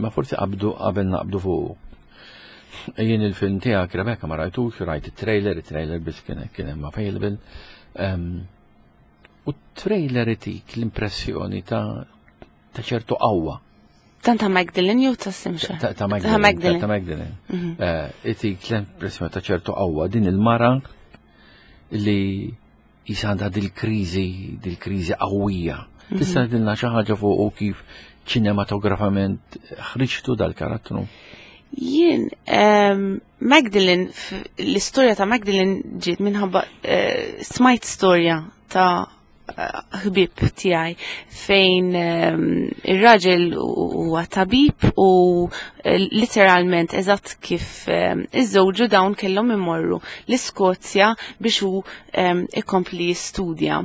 Ma forsi qabdu qabel naqbdu fuq. Jien il-film tiegħek, Rebecca, ma rajtux, rajt it-trailer, it-trailer biss kien kien hemm available. Ehm, U trailer itik l-impressjoni ta' ta' ċertu qawwa. Dan ta' Magdalene jew ta' Simxar? Ta' ta' Ta' Magdalene. Magdalene. Ta' Magdalene. Eh, Itik l-impressjoni ta' ċertu qawwa, din il-mara li jisa għandha dil-kriżi, dil-kriżi qawwija. Tista' tgħidilna xi ħaġa fuq u kif ċinematografament ħriġtu dal-karattru? Jien, um, Magdalene, f- l-istorja ta' Magdalene ġiet minħabba uh, smajt storja ta' eh, ħbib tiegħi fejn um, ir-raġel huwa tabib u eh, literalment eżatt kif um, iż-żewġu dawn kellhom imorru l-Iskozja biex hu um, ikompli jistudja.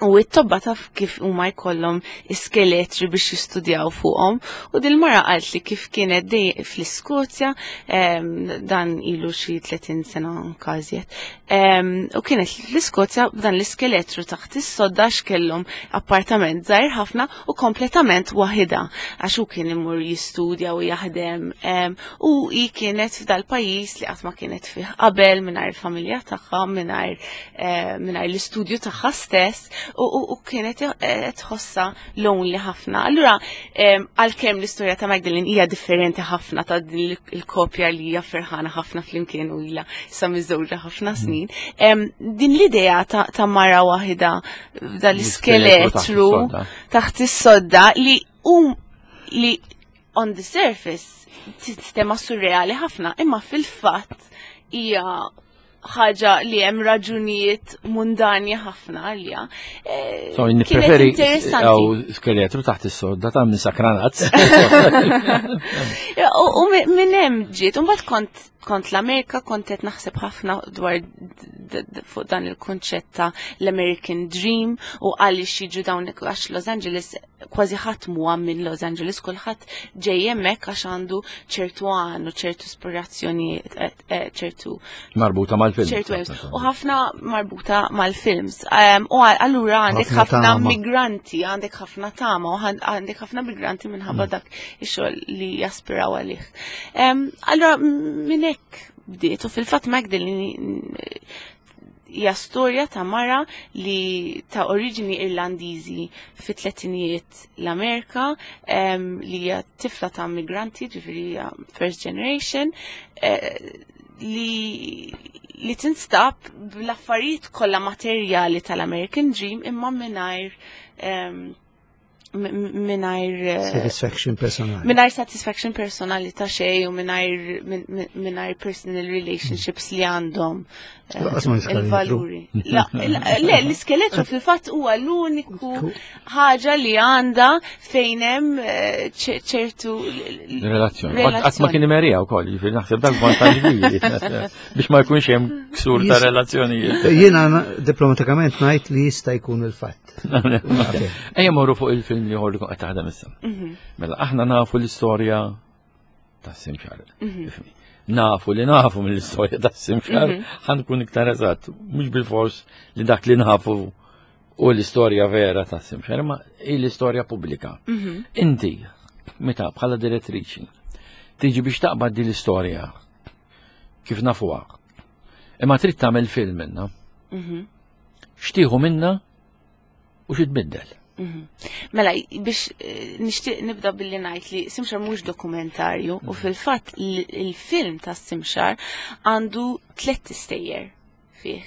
U it-tobba taf kif huma jkollhom iskeletri biex jistudjaw fuqhom. U dil-mara qalt li kif kienet dej fl-Iskozja, em, dan ilu xi tletin sena każiet. Em, U kienet fl-Iskozja b'dan l-iskeletru taħt is-sodda, kellhom appartament żgħir ħafna u kompletament waħida għax hu kien imur jistudja u jaħdem em, u hi kienet f'dal-pajjiż li qatt ma kienet fih qabel, mingħajr il-familja tagħha, mingħajr eh, mingħajr l-istudju tagħha stess u, u, u kienet eh, tħossa lonely ħafna. Allura em, għalkemm l-istorja ta' Magdalene hija differenti ħafna ta' din il- il-kopja li hija ferħana ħafna flimkien u ilha sa miżżewġa ħafna snin, em, din l-idea ta', ta' mara waħda dal-iskeletru taħt is-sodda. taħt is-sodda li um li on the surface sistema surreali ħafna, imma fil-fatt hija ħaġa li hemm raġunijiet mundani ħafna għalija. Eh, So, kienet nippreferi interessanti. għaw skeletru taħt is-sodda ta' minn sakranazz. Ja, U u mi- minn hemm ġiet, u mbagħad kont kont l-Amerika, kont qed naħseb ħafna dwar d- d- fuq dan il-konċett ta' l-American Dream u għaliex jiġu dawn, għax Los Angeles kważi ħadd huwa minn Los Angeles, kulħadd ġej hemmhekk għax għandu ċertu għan u ċertu ispirazzjoni, eh, eh, ċertu Marbuta mal-film. ċertu aims. U ħafna marbuta mal-films. Um, u għal- allura għandek Ħafna ħafna tama. migranti, għandek ħafna tama, u għan- għandek ħafna migranti minħabba dak ix-xogħol li jaspiraw għalih. Um, allura minn hekk bdiet u fil-fatt Magdalene hija storja ta' mara li ta' oriġini Irlandiżi fit-tletinijiet l-Amerika, em, li hija tifla ta' migranti, ġifieri hija first generation, eh, li li tinstab bl-affarijiet kollha materjali tal-American Dream imma mingħajr em, m- m- mingħajr eh, Satisfaction personali. mingħajr satisfaction personali ta' xej u mingħajr min- min- mingħajr personal relationships li għandhom eh, Laqas ma l-iskeletru. il-valuri. La, la- Le, l-iskeletru fil-fatt huwa l-uniku ħaġa li għandha fejn hemm eh, ċe- ċertu Relazzjoni. Qatt ma kien imerija wkoll, jiġifieri naħseb dak vantaġġ kbir biex ma jkunx hemm ksur ta' Jis- relazzjonijiet. Jiena na- diplomatikament ngħid li jista' jkun il-fatt. Ejja morru fuq il-film li ħor li qed taħdem issa. Mela aħna nafu l-istorja ta' Simxar. Ifhimni. Nafu li nafu mill-istorja ta' Simxar, ħa nkun iktar eżatt, mhux bil-fors li dak li nafu u l-istorja vera ta' Simxar, ma hi l-istorja pubblika. Inti, meta bħala direttriċi, tiġi biex taqbad din l-istorja kif nafuha. Imma trid tagħmel film minnha. Mhm. X'tieħu minna u xi tbiddel. Mhm. Mela, biex eh, nixtieq nibda billi ngħid li Simxar mhux dokumentarju u fil-fatt l- il-film ta' Simxar għandu tliet istejjer fih.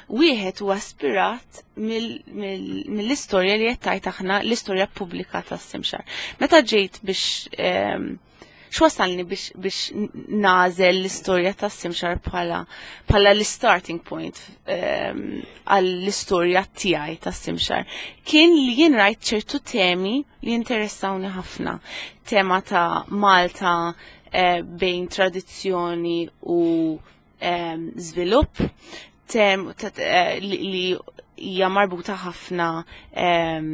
Wieħed huwa ispirat mill- mill- mill-istorja li qed tgħid aħna l-istorja pubblika ta' Simxar. Meta ġejt biex ehm, x'wasalni biex biex nagħżel l-istorja ta' Simxar bħala bħala l-starting point ehm, għall-istorja tiegħi ta' Simxar kien li jien rajt ċertu temi li interessawni ħafna. Tema ta' Malta eh, bejn tradizzjoni u ehm, żvilupp, tem ta' eh, li li hija marbuta ħafna ehm,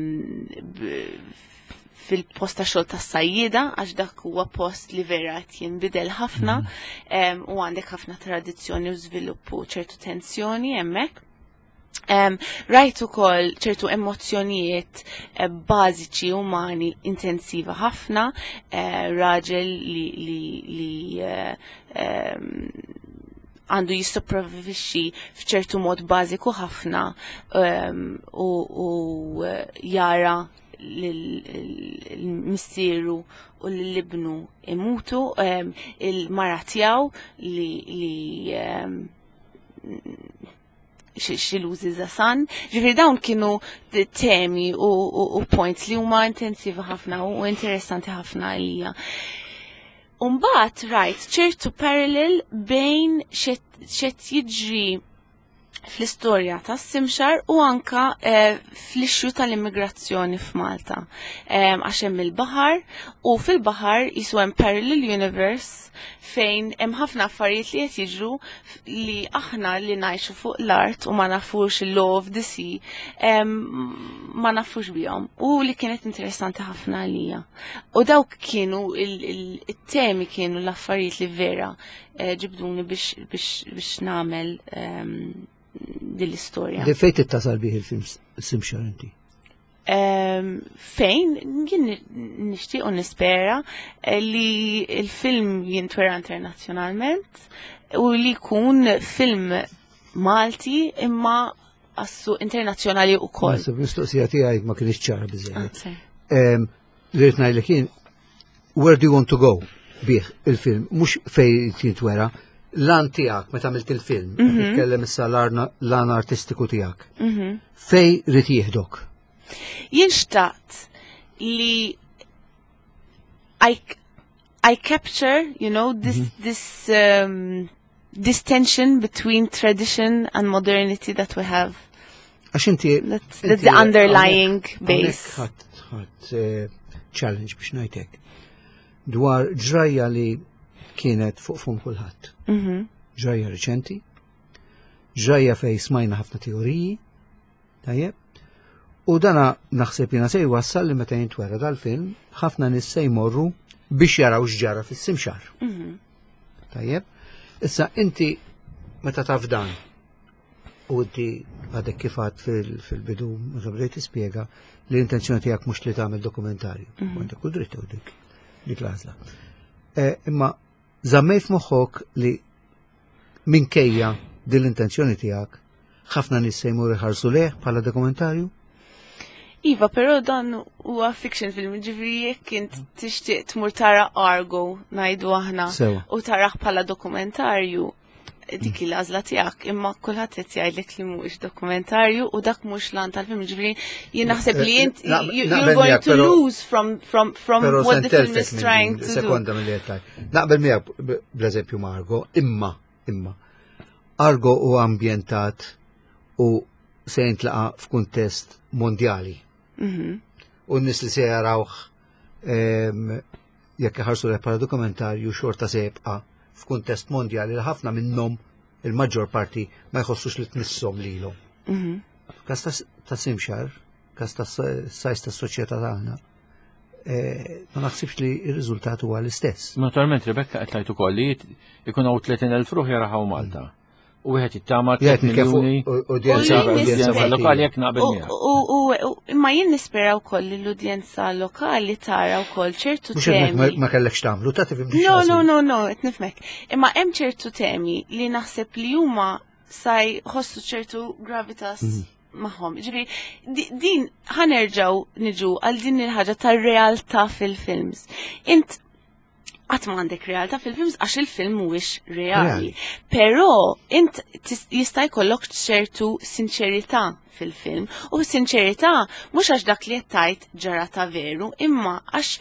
b- fil-post ta' xogħol tas-sajjieda għax dak huwa post li vera qed jinbidel ħafna em, u għandek ħafna tradizzjoni u żvilupp u ċertu tensjoni hemmhekk. Um, rajt ukoll ċertu emozzjonijiet eh, bażiċi umani intensiva ħafna, eh, raġel li, li, li eh, em, għandu jissopravvixxi f'ċertu mod bażiku ħafna um, u, u eh, jara l-missieru u l-ibnu imutu, um, il-mara tiegħu li, li um, she loses a son. Ġifieri dawn kienu temi u, u, u points li huma intensivi ħafna u interessanti ħafna għalija. Umbagħad rajt ċertu parallel bejn x'qed jiġri fl-istorja ta' Simxar u anka eh, fl-issue tal-immigrazzjoni f'Malta. Għax hemm il-baħar u fil-baħar jisu hemm parallel universe fejn hemm ħafna affarijiet li qed jiġru li aħna li ngħixu fuq l-art u ma nafux il-law of the sea ma nafux bihom u li kienet interessanti ħafna għalija. U dawk kienu il-temi kienu l-affarijiet li vera eh, ġibduni biex biex nagħmel din l-istorja. Di fejn tittasal bih il-film Simxar inti? Fejn, jien nixtieq u nispera eh, li il-film jintwera internazzjonalment u li jkun film Malti imma għas-suq internazzjonali u koll. Mistoqsija tiegħi ma kienx ċara biżejjed. Li rrid ngħidlek kien where do you want to go bih il-film, mhux fejn jintwera, l-għan tiegħek meta għamilt il-film, mhm. nitkellem issa l-għan artistiku tiegħek. Mhm. Fejn ried jieħdok? Jien xtaqt li I, I capture, you know, this, mm -hmm. this, um, this tension between tradition and modernity that we have. Għax inti. That's, that's the underlying base. Ħadt eh, challenge biex ngħidlek. Dwar ġrajja li kienet fuq fum kulħadd. Mhm. Ġrajja reċenti, ġrajja fej smajna ħafna teoriji, tajjeb, u dana naħseb jina se jwassal li meta jintwera dal-film, ħafna nies se jmorru biex jaraw x'ġara fis-simxar. Mhm. Tajjeb, issa inti meta taf dan u inti għadek kif għedt fil-bidu, meta bdejt tispjega li l-intenzjoni tiegħek mhux li tagħmel dokumentarju. Mhm. Għandek kull dritt u dik dik l-għażla. Eh, Imma żammejt f'moħħok li minkejja din l-intenzjoni tiegħek ħafna nies se jmur iħarsu leh bħala dokumentarju? Iva, però dan huwa fiction film, ġifieri jekk int tixtieq tmur tara Argo ngħidu aħna Sewa. u tarah bħala dokumentarju dik il-għażla tiegħek, imma kulħadd qed jgħidlek li mhuwiex dokumentarju u dak mhux l-għan tal-film, ġifieri jien naħseb li int Na- you- naqbel you're going miegħek, to però- lose from from from Pero what the film is sentelfek trying to do. Sekonda mill-li għettaj. Naqbel miegħek b- bl-eżempju ma' Argo, imma, imma. Argo u ambjentat u se jintlaqa f'kuntest mondjali. Mhm. U n-nies li se jarawh em, jekk iħarsu leh bħala dokumentarju xorta se jibqa' f'kuntest mondjali li ħafna minnhom il-maġġor parti ma jħossux li tmisshom lilhom. Mhm. F'każ ta'- ta' Simxar, każ ta' sajs ta' soċjetà tagħna, eh, ma naħsibx li r-riżultat huwa l-istess. Naturalment, Rebecca qed tgħid ukoll li ikun hawn tletin elf ruħ jaraw Malta. U wieħed jittama Jgħid tliet nitkellem miljuni fuq udjenza U jien udjenza nispera- lokali jekk naqbel U- miegħek. u- u- u- Imma jien nispera wkoll li l-udjenza lokali tara wkoll ċertu Mhux hekk ma- temi. ma kellekx tagħmlu, ta' tifhimni No, x'ħażin. no, no, no, qed nifhmek. Imma hemm ċertu temi li naħseb li huma sa jħossu ċertu gravitas magħhom. Ġifieri, di- din ħa nerġgħu niġu għal din il-ħaġa tar-realtà fil-films. Int qatt ma għandek realtà fil-films għax il-film mhuwiex reali. Reali. Però int tis- jista' jkollok ċertu sinċerità fil-film. U sinċerità mhux għax dak li qed tgħid ġara ta' veru, imma għax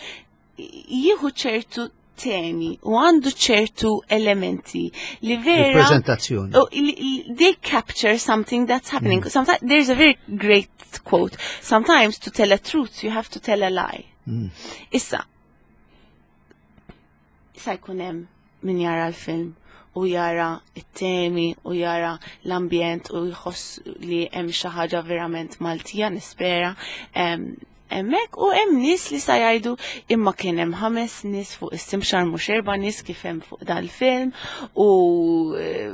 jieħu ċertu temi u għandu ċertu elementi li vera Il-prezentazzjoni. Oh, li- li- they capture something that's happening. Sometimes there's a very great quote. Sometimes to tell a truth, you have to tell a lie. Issa, issa jkun hemm min jara l-film u jara it-temi u jara l-ambjent u jħoss li hemm xi ħaġa verament Maltija nispera em, hemmhekk u hemm nies li sa jgħidu imma kien hemm ħames nies fuq is-simxar mhux erba' nies kif hemm fuq dal-film u eh,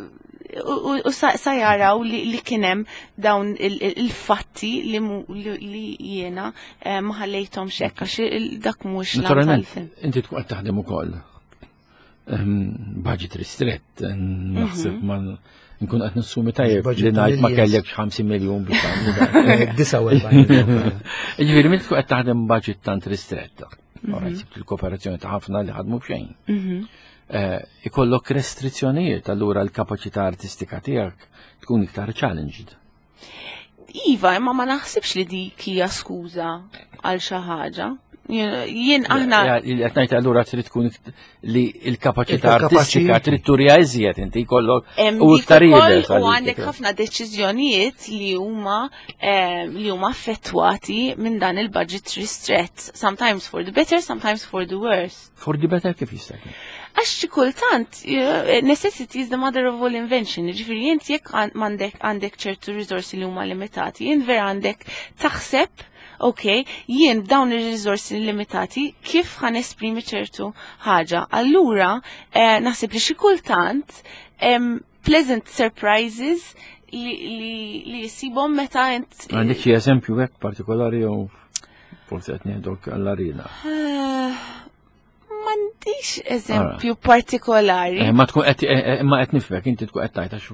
u, u, u sa, sa jaraw li, li kien hemm dawn il- il- il-fatti li, mu- li, li jiena eh, ma ħallejthomx hekk għax il- dak mhux l Naturalment, tal-film. inti tkun qed taħdem ukoll. Ehm, Budget ristrett, naħseb ma nkun qed nassumi tajjeb Budget li ngħid ma millions. kellekx ħamsin miljun biex tagħmlu dan. Disgħa u erbgħin. Ġifieri, meta tkun qed taħdem budget tant ristretta, ora sibt il-kooperazzjoni ta' ħafna li ħadmu b'xejn. Eh, Ikollok restrizzjonijiet, allura l-kapaċità artistika tiegħek tkun iktar challenged. Iva, imma ma naħsibx li dik hija skuża għal xi ħaġa. Jien aħna Qed ngħid allura trid tkun ikt- li l-kapaċità Iktar kapaċi artistika inti. trid turija iżjed inti jkollok hemm u dik iktar ukoll iebes u għalik. għandek ħafna deċiżjonijiet li huma eh, li huma affettwati minn dan il-budget ristrett. Sometimes for the better, sometimes for the worse. For the better kif jista' jkun? Għax xi kultant, eh, necessity is the mother of all invention. Ġifieri int jekk għan- m'għandek għandek ċertu risorsi li huma limitati, jien vera għandek taħseb, ok, jien b'dawn ir-risorsi limitati kif ħa nesprimi ċertu ħaġa. Allura, eh, naħseb li xi kultant em, pleasant surprises li, li, li jisibhom meta int Għandek xi eżempju hekk partikolari jew forsi qed nieħdok għall-arena. Eh, M'għandix eżempju partikolari. Eh, Ma tkun qed eh, eh, ma qed nifhmek inti tkun qed tgħid għax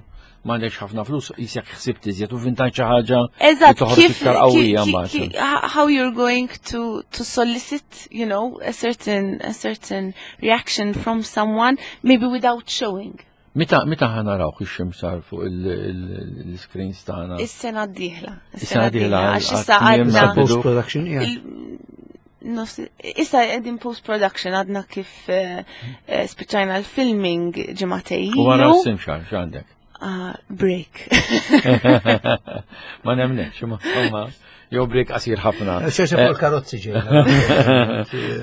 m'għandekx ħafna flus qisek ħsibt iżjed u vintajt xi ħaġa li Eżatt, toħroġ kif, iktar qawwija ki- mbagħad. ki- how you're going to to solicit, you know, a certain a certain reaction from someone, maybe without showing. Meta meta ħa naraw ix-ximsar fuq il-screens tagħna? Is-sena d-dieħla. Is-sena d-dieħla, Għax issa għat-tmiem għadna tal-bidu. Post-production, yeah. il- nofs- Issa qegħdin post-production għadna kif eh, eh, spiċċajna l-filming ġimagħtejn U wara ilu. s-simxar x'għandek? Ah, break. Ma nemnekx, ma insomma, jew break qasir ħafna. ċerta fuq il-karozzi ġejna.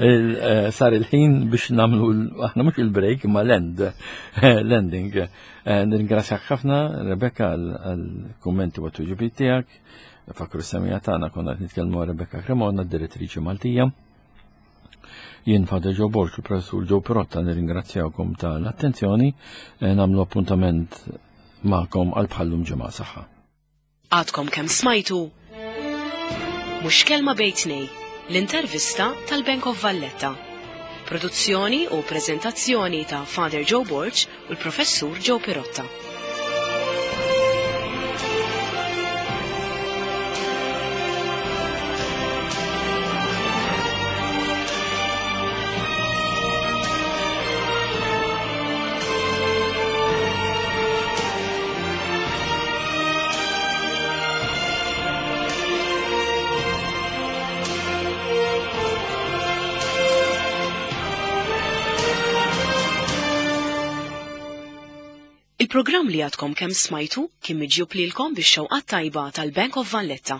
Il- eh, Sar il-ħin biex nagħmlu l- aħna mhux il-break imma l-end, l-ending. Eh, Nirringrazzjak ħafna, Rebecca, għal-kummenti u għat-tweġibiet tiegħek. Fakru s-semija tagħna konna qed nitkellmu Rebecca Cremona, direttriċi Maltija. Jien Father Joe Borg, il-professur Joe Pirotta, nirringrazzjawkom tal-attenzjoni, eh, nagħmlu appuntament magħkom għal bħallum ġimgħa saħħa. Għadkom kemm smajtu Mhux kelma bejn tnejn, l-intervista tal-Bank of Valletta. Produzzjoni u prezentazzjoni ta' Father Joe Borg u l-Professur Joe Pirotta. Il-programm li għadkom kemm smajtu kien miġjub lilkom bix-xewqat tajba tal-Bank of Valletta.